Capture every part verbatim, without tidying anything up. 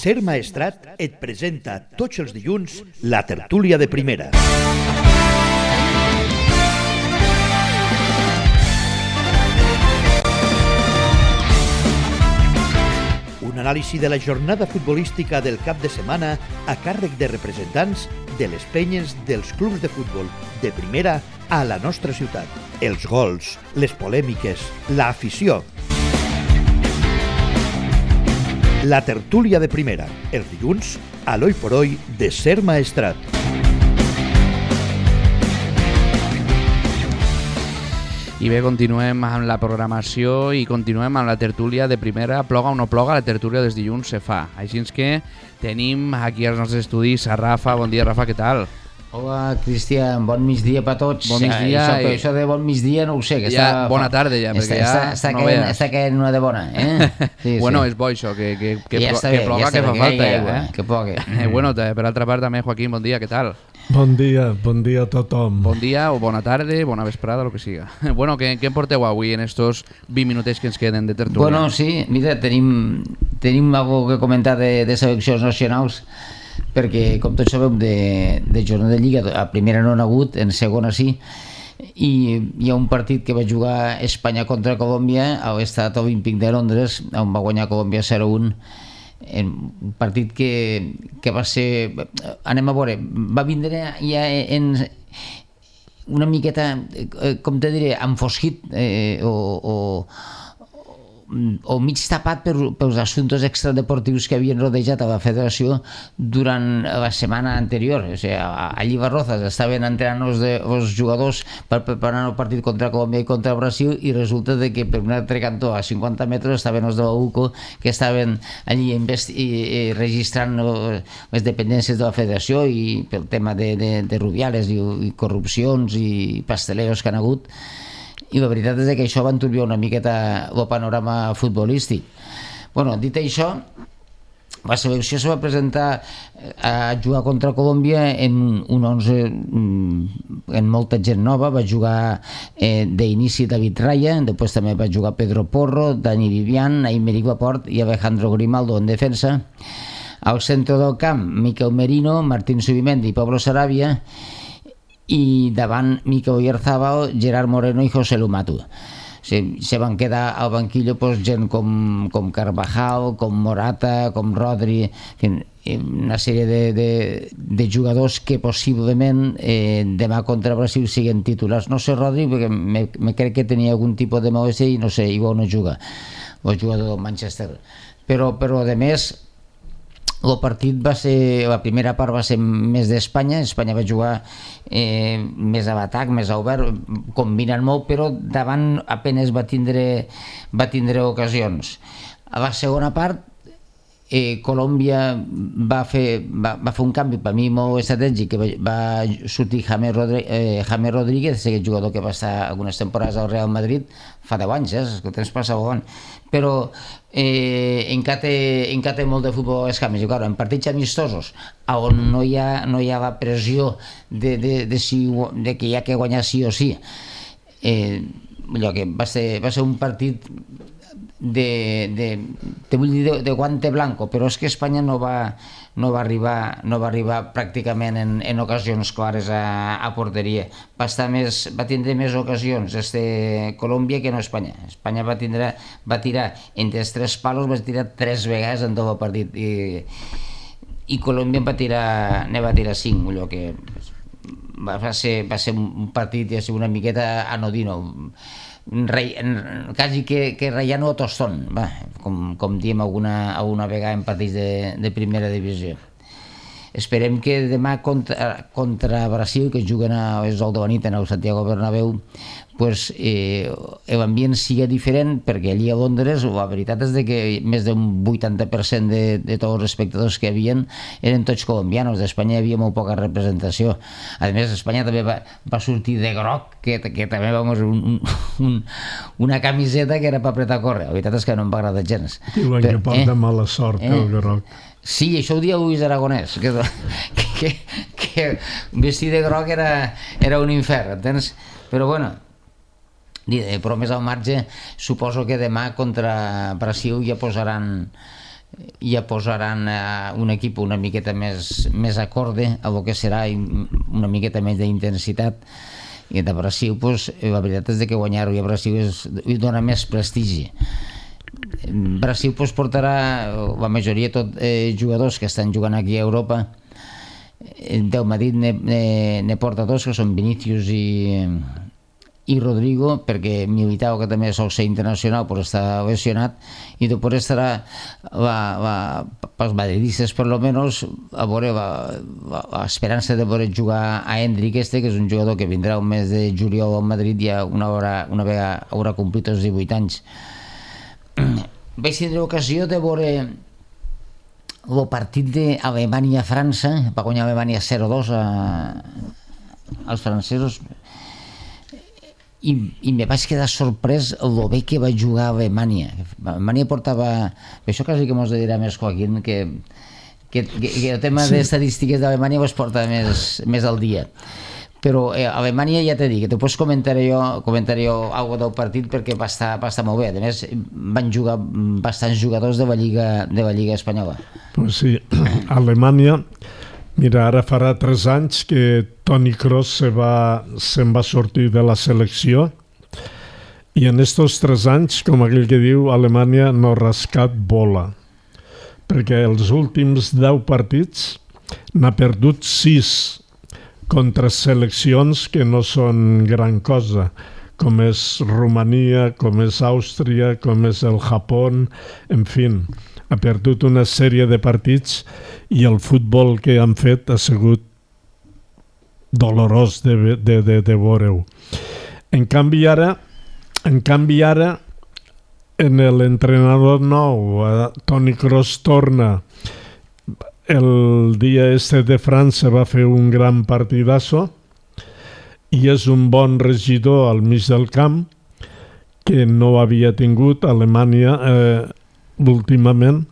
Ser Maestrat et presenta tots els dilluns la tertúlia de primera. Un anàlisi de la jornada futbolística del cap de setmana a càrrec de representants de les penyes dels clubs de futbol de primera a la nostra ciutat. Els gols, les polèmiques, l'afició. La tertúlia de primera, els dilluns, a l'Oi por Hoy de Ser Maestrat. I bé, continuem amb la programació i continuem amb la tertúlia de primera. Ploga o no ploga, la tertúlia dels dilluns se fa. Així que tenim aquí als nostres estudis a Rafa. Bon dia, Rafa, què tal? Hola, Cristian, bon migdia per tots. Bon migdia. Això, i... això de bon migdia no ho sé. Que ja, està... bona tarda ja, perquè està, ja està, està no caient, veus. Està caient una de bona, eh? Sí, bueno, sí. és bo això, que, que, que, ja plo, bé, que ploga, ja que fa bé, falta. Que, Ja, eh? que plogui. Eh, bueno, per altra part també, Joaquín, bon dia, què tal? Bon dia, bon dia a tothom. Bon dia o bona tarda, bona vesprada, el que siga. Bueno, què, què en porteu avui en estos vint minutets que ens queden de tertúlia? Bueno, sí, mira, tenim, tenim alguna cosa que comentar de, de seleccions nacionals, perquè, com tots sabeu, de, de jornada de Lliga, a primera no n'ha hagut, en segona sí, i hi ha un partit que va jugar Espanya contra Colòmbia a l'Estadi Olímpic de Londres, on va guanyar Colòmbia zero a un, en un partit que, que va ser, anem a veure, va vindre ja en una miqueta, com te diré, enfosquit eh, o, o o mig tapat per, pels assumptes extradeportius que havien rodejat a la federació durant la setmana anterior. O sigui, a, a Llibarrozas estaven entrenant els, de, els jugadors per preparar el partit contra Colòmbia i contra Brasil, i resulta de que per un altre cantó a cinquanta metres estaven els de la U C O, que estaven allí investi- i, i registrant les dependències de la federació i pel tema de, de, de Rubiales i, i corrupcions i pasteleros que han hagut. I la veritat és que això va enturbiar una miqueta el panorama futbolístic. Bueno, dit això, la selecció se va presentar a jugar contra Colòmbia en un onze en molta gent nova. Va jugar eh, d'inici David Raya, després també va jugar Pedro Porro, Dani Vivian, Aymeric Laporte i Alejandro Grimaldo en defensa. Al centre del camp, Miquel Merino, Martín Zubimendi i Pablo Sarabia, i davant Mikel Oyarzabal, Gerard Moreno i José Lumatu. Se, se van quedar al banquillo pues, gent com, com Carvajal, com Morata, com Rodri, una sèrie de, de, de jugadors que possiblement eh, demà contra Brasil siguin titulars. No sé Rodri, perquè me, me crec que tenia algun tipus de malestar i no sé, igual no juga, el jugador del Manchester. Però, però de més, el partit va ser, la primera part va ser més d'Espanya. Espanya va jugar eh, més a l'atac, més a obert, combinant molt, però davant apenas va tindre, va tindre ocasions. A la segona part, eh, Colòmbia va fer, va, va fer un canvi per mi molt estratègic, que va, va sortir James Rodríguez, eh, James Rodríguez, aquest jugador que va estar algunes temporades al Real Madrid fa deu anys, eh, que el temps passa volant, però eh, encara, té, encara té molt de futbol a les cames. I clar, en partits amistosos on no hi ha, no hi ha la pressió de, de, de, si, de que hi ha que guanyar sí o sí, eh, allò que va ser, va ser un partit de, de, te vull dir de, de guante blanco, però és que Espanya no va, no va arribar, no va arribar pràcticament en, en ocasions clares a, a porteria. Va, estar més, va tindre més ocasions este Colòmbia que no Espanya. Espanya va, tindre, va tirar entre els tres palos, va tirar tres vegades en tot el partit, i, i Colòmbia va tirar, ne va tirar cinc, allò que va, va, ser, va ser un partit ja, una miqueta anodino, Rei, quasi que, que Rayano o Tostón, va, com, com diem alguna, alguna vegada en partits de, de primera divisió. Esperem que demà contra, contra Brasil, que juguen a les deu de la nit en el Santiago Bernabéu, pues, eh, l'ambient sigui diferent, perquè allí a Londres la veritat és de que més d'un vuitanta per cent de, de tots els espectadors que hi havia eren tots colombianos. D'Espanya hi havia molt poca representació. A més, Espanya també va, va sortir de groc, que, que també vamos, un, un, una camiseta que era per apretar a córrer. La veritat és que no em va agradar gens. Diuen que porta eh? mala sort, eh? el groc. Sí, això ho dia Luis Aragonès, que, que, que vestir de groc era, era un infern, entens? Però bueno, però més al marge, suposo que demà contra Brasil ja posaran ja posaran un equip una miqueta més, més acorde a lo que serà una miqueta més d'intensitat. I de Brasil, pues, la veritat és que guanyar-ho a Brasil és, dona més prestigi. Brasil pues, portarà la majoria tot eh, jugadors que estan jugant aquí a Europa. Del Madrid ne, ne, ne porta dos, que són Vinícius i, i Rodrigo, perquè Militao, que també sol ser internacional, però està lesionat, i després estarà la, la, pels madridistes per lo menos a veure l'esperança de veure jugar a Endrick este, que és un jugador que vindrà el mes de juliol al Madrid, ja una, hora, una vegada haurà complit els divuit anys. Vaig tindre ocasió de veure el partit d'Alemanya-França, va guanyar Alemanya zero dos a, als francesos, i, i me vaig quedar sorprès el bé que va jugar a Alemanya. Alemanya portava... Això quasi que mos dirà més Joaquín, que, que, que el tema sí. d'estadístiques d'Alemanya es porta més, més al dia. Però eh, Alemanya, ja t'he dit, que després comentaré jo, comentaré jo alguna del partit perquè va estar, va estar molt bé. A més, van jugar bastants jugadors de la Lliga, de la Lliga Espanyola. Pues sí, Alemanya... Mira, ara farà tres anys que Toni Kroos se va, se'n va sortir de la selecció i en estos tres anys, com aquell que diu, Alemanya no ha rascat bola. Perquè els últims deu partits n'ha perdut sis contra seleccions que no són gran cosa, com és Romania, com és Àustria, com és el Japó, en fi, ha perdut una sèrie de partits i el futbol que han fet ha sigut dolorós de, de, de, de veure-ho. En canvi ara, en canvi ara, en l'entrenador nou, Toni Kroos torna. El dia este de França va fer un gran partidazo i és un bon regidor al mig del camp que no havia tingut Alemanya eh, últimament.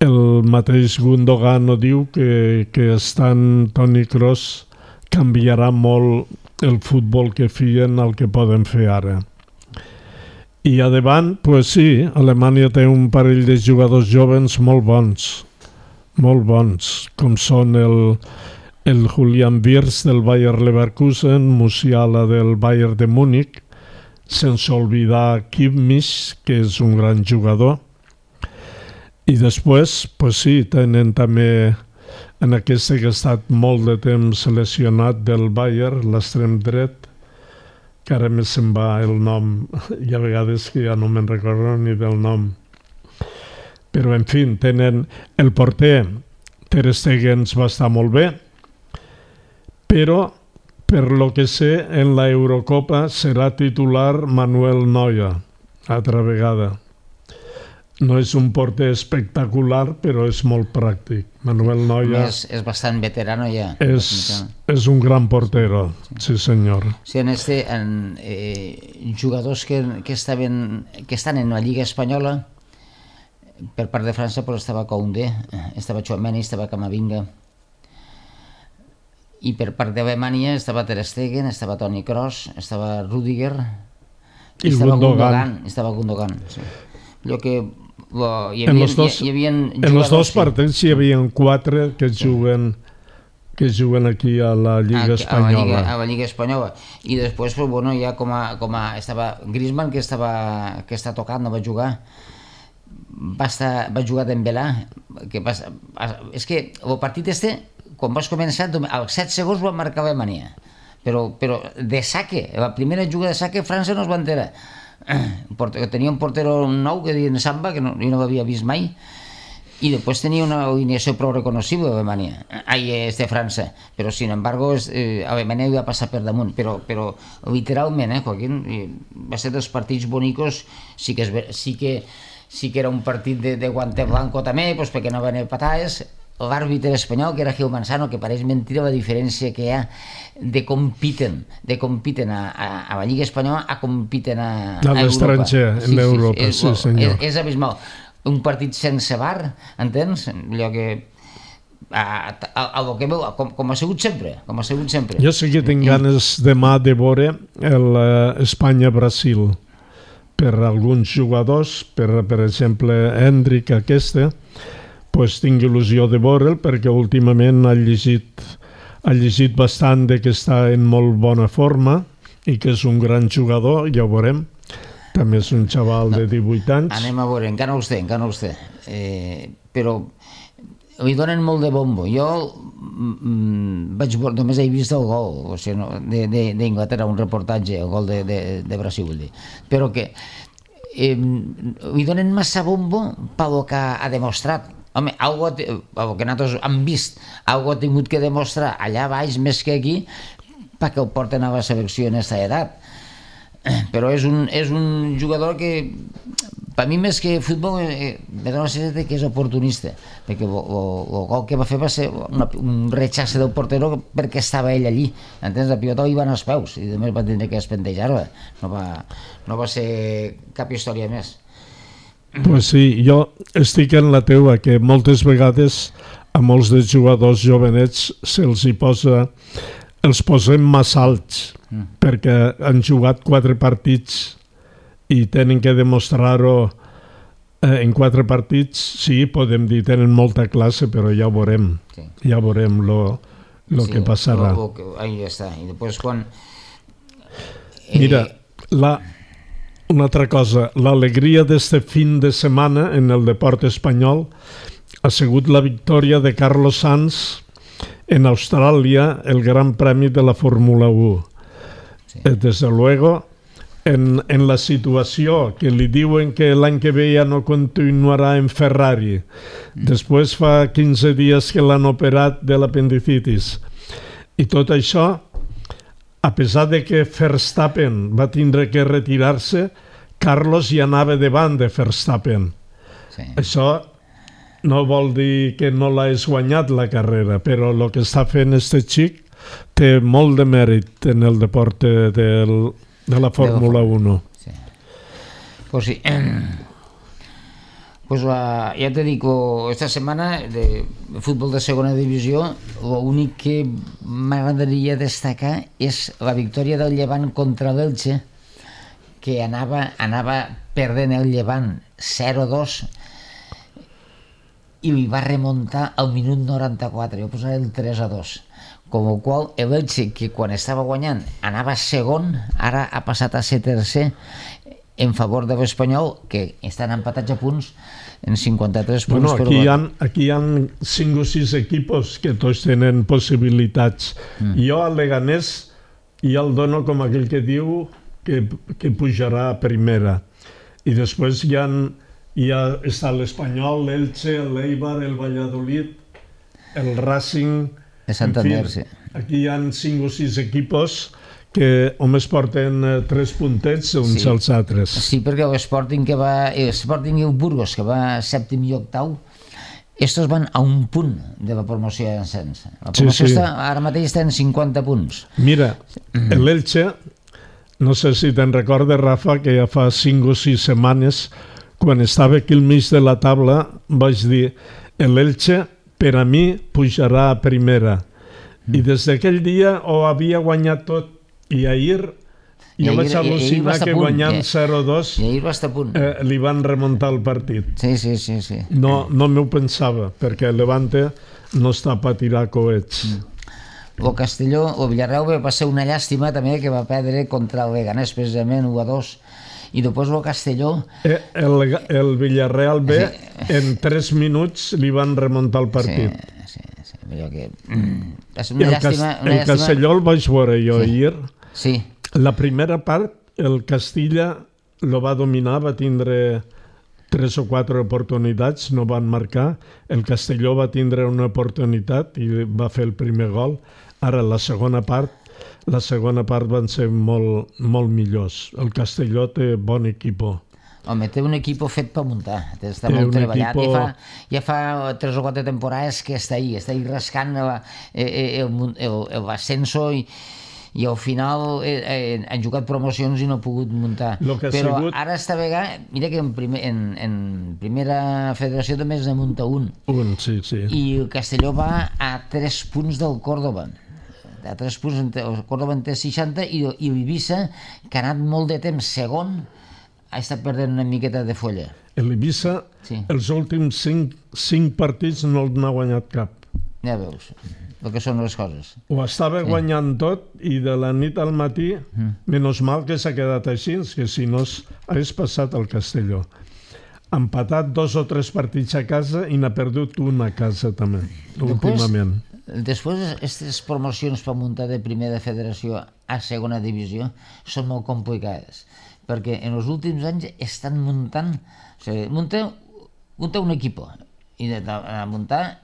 El mateix Gundogan ho diu que, que estant Toni Kroos canviarà molt el futbol que feien al que poden fer ara. I a davant, pues sí, Alemanya té un parell de jugadors joves molt bons, molt bons, com són el, el Julian Wirtz del Bayer Leverkusen, Musiala del Bayern de Múnich, sense oblidar Kimmich, que és un gran jugador. I després, pues sí, tenen també en aquest que ha estat molt de temps lesionat del Bayern, l'extrem dret, que ara més se'n va el nom, hi ha vegades que ja no me'n recordo ni del nom. Però, en fi, tenen el porter, Ter Stegen va estar molt bé, però, per lo que sé, en la Eurocopa serà titular Manuel Neuer, altra vegada. No és un porter espectacular, però és molt pràctic. Manuel Neuer... És, és bastant veterano ja. És, és un gran portero, sí, sí senyor. Sí, en este, en, eh, jugadors que, que, estaven, que estan en la Lliga Espanyola, per part de França pues, estava Koundé, estava Tchouaméni, estava Camavinga. I per part d'Alemanya estava Ter Stegen, estava Toni Kroos, estava Rüdiger, i estava Gundogan. Estava Gundogan, sí. Allò que... Bo, hi havia, en els dos, hi, hi havia en els dos partits hi havia quatre que juguen, que juguen aquí a la Lliga a, Espanyola. A la Lliga, a la Lliga Espanyola. I després, pues, bueno, ja com a, com a estava Griezmann, que, estava, que està tocant, no va jugar, va, estar, va jugar Dembélé, que va, és que el partit este, quan vas començar, als set segons va marcar Alemanya, però, però de saque, la primera jugada de saque França no es va enterar. Tenia un portero nou que deien Samba, que no, jo no l'havia vist mai, i després tenia una alineació prou reconocible d'Alemanya, ai, este França, però sin embargo eh, Alemanya va passar per damunt, però, però literalment, eh, Joaquín, va ser dels partits bonicos, sí que, és, sí que, sí que era un partit de, de guante blanco també, pues, perquè no van patades. L'àrbitre espanyol, que era Gil Manzano, que pareix mentira la diferència que hi ha de compiten, de compiten a, a, a la Lliga Espanyola a compiten a, a Europa. A l'estranger, en Europa, sí, sí, senyor. És, és abismal. Un partit sense V A R, entens? Allò que... A, a, a lo que veu, com, com ha sigut sempre, com ha sigut sempre. Jo sí que tinc ganes demà de veure l'Espanya-Brasil, per alguns jugadors, per, per exemple, Hendrik aquesta, pues, tinc il·lusió de veure'l perquè últimament ha llegit, ha llegit bastant de que està en molt bona forma i que és un gran jugador, ja ho veurem. També és un xaval de divuit anys. Anem a veure, encara no els té, encara no els té. Eh, però li donen molt de bombo. Jo mm, vaig veure, només he vist el gol, o sigui, no, d'Inglaterra, un reportatge, el gol de, de, de Brasil, vull dir. Però que eh, li donen massa bombo pel que ha demostrat. Home, algo, el que nosaltres hem vist, algo ha tingut que demostrar allà baix més que aquí perquè el porten a la selecció en aquesta edat. Però és un, és un jugador que per mi més que futbol eh, me dona la sensació que és oportunista, perquè el gol que va fer va ser una, un rechace del portero perquè estava ell allí, entens? La pilota li va als peus i només va tindre que espentejar-la, no va, no va ser cap història més. Pues sí, jo estic en la teua, que moltes vegades a molts dels jugadors jovenets se'ls hi posa, els posem massa alts, mm. perquè han jugat quatre partits i tenen que demostrar-ho eh, en quatre partits. Sí, podem dir, tenen molta classe, però ja ho veurem, sí. ja veurem lo, lo sí, que passarà. Lo, lo, ahí està, i després quan... Eh... Mira, la... una altra cosa, l'alegria d'este fin de setmana en el deport espanyol ha sigut la victòria de Carlos Sainz en Austràlia, el Gran Premi de la Fórmula u. Sí. Desde luego, en, en la situació que li diuen que l'any que ve ja no continuarà en Ferrari, mm. després fa quinze dies que l'han operat de l'apendicitis, i tot això, a pesar de que Verstappen va tindre que retirar-se, Carlos ja anava davant de Verstappen. Sí. Això no vol dir que no l'has guanyat la carrera, però el que està fent este xic té molt de mèrit en el deport de, del, de la Fórmula u. Sí. Pues sí. Pues uh, ja te dic, esta setmana de futbol de segona divisió, l'únic que m'agradaria destacar és la victòria del Llevant contra l'Elche, que anava, anava perdent el Llevant zero a dos i li va remuntar al minut noranta-quatre, jo posaré el tres a dos, com el qual l'Elche, que quan estava guanyant anava segon, ara ha passat a ser tercer en favor de l'Espanyol, que estan empatats a punts en cinquanta-tres punts. Bueno, aquí, hi ha, aquí hi ha cinc o sis equipos que tots tenen possibilitats. Mm. Jo al Leganés ja el dono com aquell que diu que, que pujarà a primera. I després hi ha, ja està l'Espanyol, l'Elche, l'Eibar, el Valladolid, el Racing... De Santander, sí. Aquí hi ha cinc o sis equipos que només porten eh, tres puntets uns sí. als altres. Sí, perquè l'Sporting que va... L'Sporting i el Burgos, que va sèptim i octau, estos van a un punt de la promoció d'ascens. La promoció sí, sí. Està, ara mateix està en cinquanta punts. Mira, l'Elche, no sé si te'n recordes, Rafa, que ja fa cinc o sis setmanes, quan estava aquí al mig de la taula, vaig dir, l'Elche per a mi pujarà a primera. Mm. I des d'aquell dia ho havia guanyat tot. I ahir jo vaig al·lucinar que guanyant zero a dos eh, li van remuntar el partit. Sí, sí, sí. sí. No, no m'ho pensava, perquè el Levante no està per tirar coets. Mm. El Castelló, el Villarreal va ser una llàstima també que va perdre contra el Leganés precisament u a dos. I després el Castelló... Eh, el, el Villarreal B sí. en tres minuts li van remuntar el partit. Sí, sí, sí. Que... Mm. És una el, llàstima, Cas una el llàstima... Castelló el vaig veure jo sí. ahir. Sí. La primera part, el Castilla lo va dominar, va tindre tres o quatre oportunitats, no van marcar. El Castelló va tindre una oportunitat i va fer el primer gol. Ara, la segona part, la segona part van ser molt, molt millors. El Castelló té bon equipo. Home, té un equip fet per muntar, està té molt treballat. Equipo... Ja, fa, ja fa tres o quatre temporades que està ahí, està ahí rascant l'ascenso i i al final eh, eh, han jugat promocions i no ha pogut muntar. Però sigut... ara esta vegada, mira que en, primer, en, en primera federació també es ne munta un. Un, sí, sí. I el Castelló va a tres punts del Córdoba. A tres punts, el Córdoba en té seixanta i, i l'Eivissa, que ha anat molt de temps segon, ha estat perdent una miqueta de folla. L'Eivissa, Sí. els últims cinc, cinc partits no n'ha guanyat cap. Ja veus, el que són les coses. Ho estava Sí. guanyant tot i de la nit al matí, menys mal que s'ha quedat així, que si no hagués passat al Castelló. Ha empatat dos o tres partits a casa i n'ha perdut una a casa també, últimament. Després, aquestes promocions per muntar de primera federació a segona divisió són molt complicades, perquè en els últims anys estan muntant, o sigui, munta, munta un equip i de, de, de muntar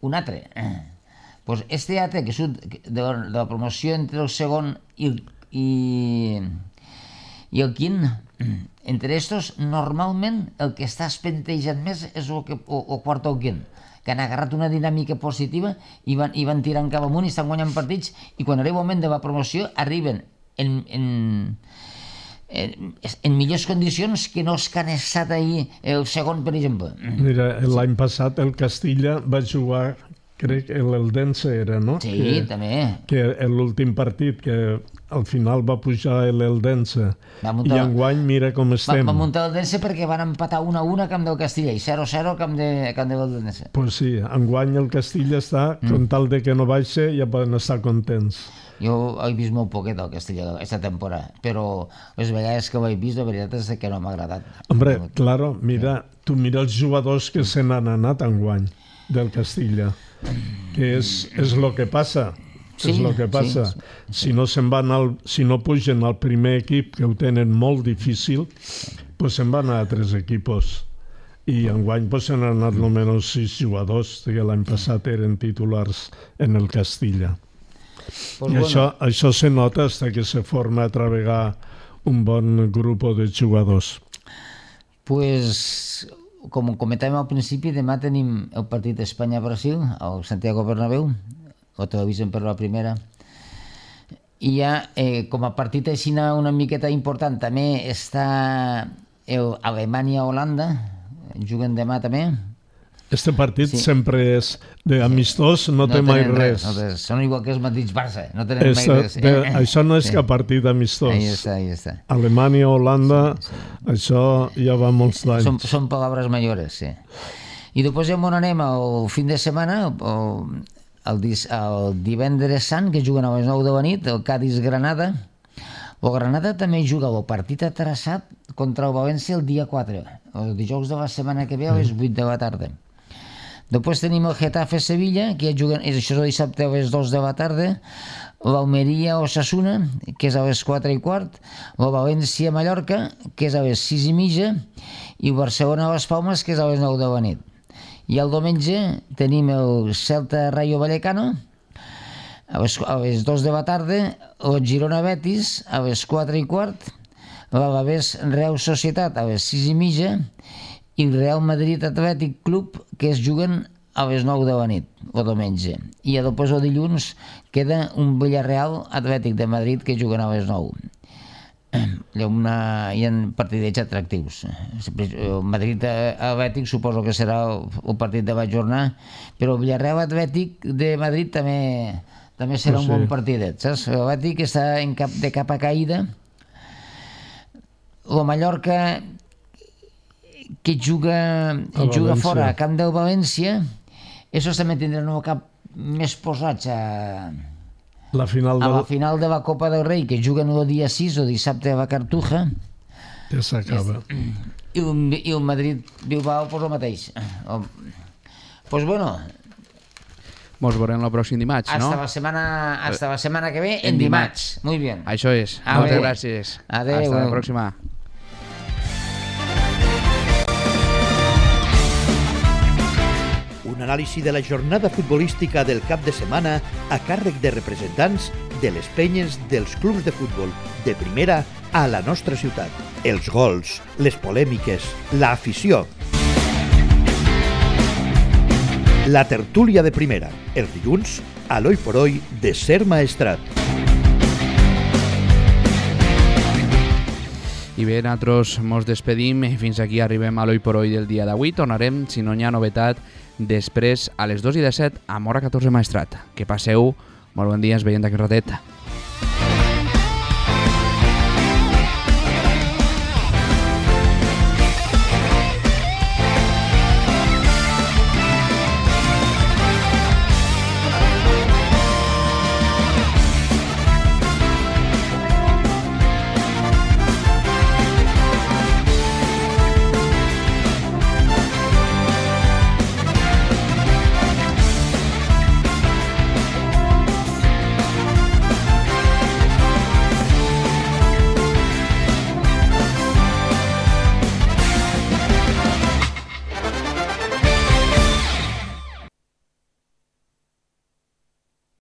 un altre. Pues este altre, que surt de, de la promoció entre el segon i, i, i el quint, entre estos, normalment el que està espentejant més és el, que, o, o quart o el quint, que han agarrat una dinàmica positiva i van, i van tirant cap amunt i estan guanyant partits, i quan arriba el moment de la promoció arriben en, en, en, en millors condicions que no els que han estat ahir el segon, per exemple. Mira, l'any passat el Castilla va jugar, crec que l'Eldense era, no? Sí, que, també. Que l'últim partit, que al final va pujar l'Eldense. I enguany mira com estem. Va, va muntar l'Eldense perquè van empatar una a una a camp del Castilla i zero a zero a camp de, camp de l'Eldense. Pues sí, enguany el Castilla està, mm. con tal de que no baixe, ja poden estar contents. Jo he vist molt poquet el Castilla aquesta temporada, però les vegades que ho he vist, la veritat és que no m'ha agradat. Hombre, claro, mira, tu mira els jugadors que se n'han anat enguany del Castilla, que és, és lo que passa. Sí, és el que passa. Sí, sí. Si no se'n van al, si no pugen al primer equip, que ho tenen molt difícil, pues se'n van a altres equipos. I enguany pues, se n'han anat almenys sis jugadors, que l'any passat eren titulars en el Castilla. Pues I bueno. això, això se nota hasta que se forma a travegar un bon grup de jugadors. Pues, com comentàvem al principi, demà tenim el partit d'Espanya-Brasil al Santiago Bernabéu, o televisen per la primera, i ja eh, com a partit així una miqueta important també està Alemanya-Holanda, juguen demà també. Este partit sí. sempre és d'amistós, sí. no, no té mai res. res. No, són igual que els mateixos Barça, no tenen Esta, mai res. De, això no és sí. que partit amistós. Ahí està, ahí està. Alemanya-Holanda, sí, sí. això ja va molts anys. Són, són paraules mayores, sí. I després ja on anem el fin de setmana, el, el, el divendres sant, que juguen a les nou de la nit, el Cádiz-Granada. El Granada també juga el partit atrasat contra el València el dia quatre, el dijous de la setmana que ve a les vuit de la tarda. Després tenim el Getafe-Sevilla, que ja juguen, això és el dissabte a les dos de la tarda, l'Almeria-Osasuna, que és a les quatre i quart, el València-Mallorca, que és a les sis i mitja, i el Barcelona-Las Palmes, que és a les nou de la nit. I el diumenge tenim el Celta-Rayo Vallecano, a les, a les dos de la tarda, el Girona-Betis, a les quatre i quart, l'Alavés-Real Societat, a les sis i mitja, i el Real Madrid Atlètic Club, que es juguen a les nou de la nit, el diumenge. I després el dilluns queda un Villarreal Atlètic de Madrid que juguen a les nou. Hi ha, una, hi ha partidets atractius. El Madrid Atlètic suposo que serà el partit de la jornada, però el Villarreal Atlètic de Madrid també, també serà un bon partidet. Saps? L'Atlètic està en cap, de capa caïda. El Mallorca, que juga, juga fora a camp del València, això també tindran el cap més posats a, la final a del... la final de la Copa del Rei, que juguen el dia sis o dissabte a la Cartuja. Ja s'acaba. I, I el Madrid-Bilbao, pues el mateix. Doncs pues bueno... Mos veurem el pròxim dimarts, hasta no? La setmana, hasta la setmana que ve, en, en dimarts. dimarts. Muy bien. Això és. A Moltes ver. gràcies. Adéu. Hasta la pròxima. Un anàlisi de la jornada futbolística del cap de setmana a càrrec de representants de les penyes dels clubs de futbol de primera a la nostra ciutat. Els gols, les polèmiques, l'afició. La tertúlia de primera, els dilluns, a l'Oi por Hoy de Ser Maestrat. I bé, nosaltres mos despedim i fins aquí arribem a l'Oi por Hoy del dia d'avui. Tornarem, si no hi ha novetat, després a les dos i disset a Mora catorze Maestrat. Que passeu molt bon dia, ens veiem d'aquest ratet.